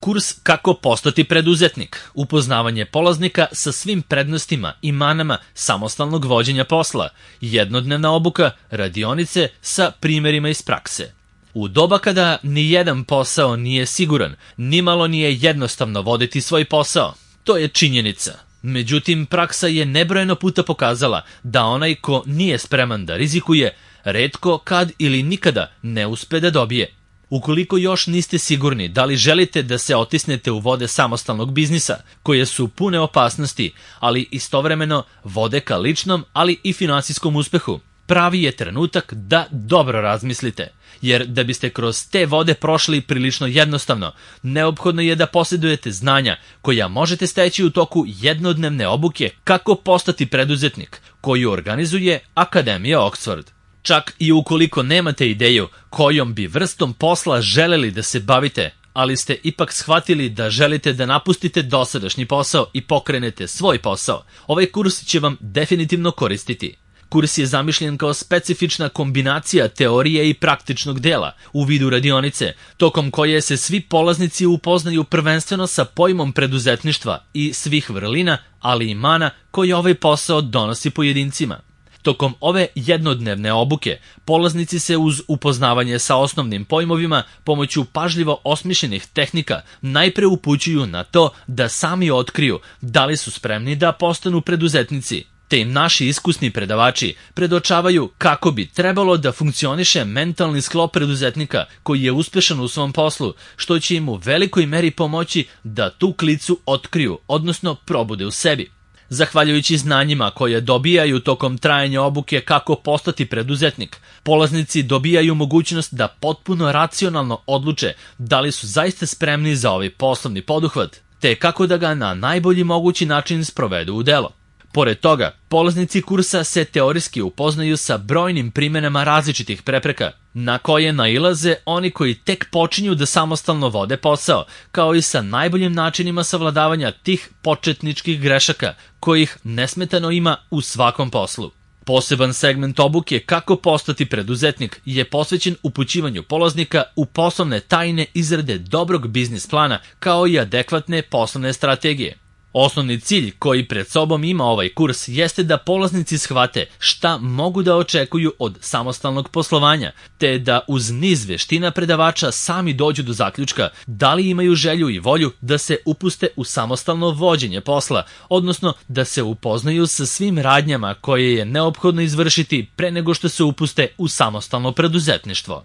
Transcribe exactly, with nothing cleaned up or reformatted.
Kurs Kako postati preduzetnik, upoznavanje polaznika sa svim prednostima i manama samostalnog vođenja posla, jednodnevna obuka, radionice sa primjerima iz prakse. U doba kada ni jedan posao nije siguran, nimalo nije jednostavno voditi svoj posao. To je činjenica. Međutim, praksa je nebrojeno puta pokazala da onaj ko nije spreman da rizikuje, retko kad ili nikada ne uspe da dobije. Ukoliko još niste sigurni da li želite da se otisnete u vode samostalnog biznisa, koje su pune opasnosti, ali istovremeno vode ka ličnom, ali i finansijskom uspehu, pravi je trenutak da dobro razmislite. Jer da biste kroz te vode prošli prilično jednostavno, neophodno je da posjedujete znanja koja možete steći u toku jednodnevne obuke Kako postati preduzetnik, koju organizuje Akademija Oxford. Čak i ukoliko nemate ideju kojom bi vrstom posla želeli da se bavite, ali ste ipak shvatili da želite da napustite dosadašnji posao i pokrenete svoj posao, ovaj kurs će vam definitivno koristiti. Kurs je zamišljen kao specifična kombinacija teorije i praktičnog dela u vidu radionice, tokom koje se svi polaznici upoznaju prvenstveno sa pojmom preduzetništva i svih vrlina, ali i mana koje ovaj posao donosi pojedincima. Tokom ove jednodnevne obuke, polaznici se uz upoznavanje sa osnovnim pojmovima pomoću pažljivo osmišljenih tehnika najpre upućuju na to da sami otkriju da li su spremni da postanu preduzetnici, te im naši iskusni predavači predočavaju kako bi trebalo da funkcioniše mentalni sklop preduzetnika koji je uspešan u svom poslu, što će im u velikoj meri pomoći da tu klicu otkriju, odnosno probude u sebi. Zahvaljujući znanjima koje dobijaju tokom trajanja obuke Kako postati preduzetnik, polaznici dobijaju mogućnost da potpuno racionalno odluče da li su zaista spremni za ovaj poslovni poduhvat, te kako da ga na najbolji mogući način sprovedu u delo. Pored toga, polaznici kursa se teorijski upoznaju sa brojnim primjenama različitih prepreka, na koje nailaze oni koji tek počinju da samostalno vode posao, kao i sa najboljim načinima savladavanja tih početničkih grešaka, kojih nesmetano ima u svakom poslu. Poseban segment obuke Kako postati preduzetnik je posvećen upućivanju polaznika u poslovne tajne izrade dobrog biznis plana, kao i adekvatne poslovne strategije. Osnovni cilj koji pred sobom ima ovaj kurs jeste da polaznici shvate šta mogu da očekuju od samostalnog poslovanja, te da uz niz veština predavača sami dođu do zaključka da li imaju želju i volju da se upuste u samostalno vođenje posla, odnosno da se upoznaju sa svim radnjama koje je neophodno izvršiti pre nego što se upuste u samostalno preduzetništvo.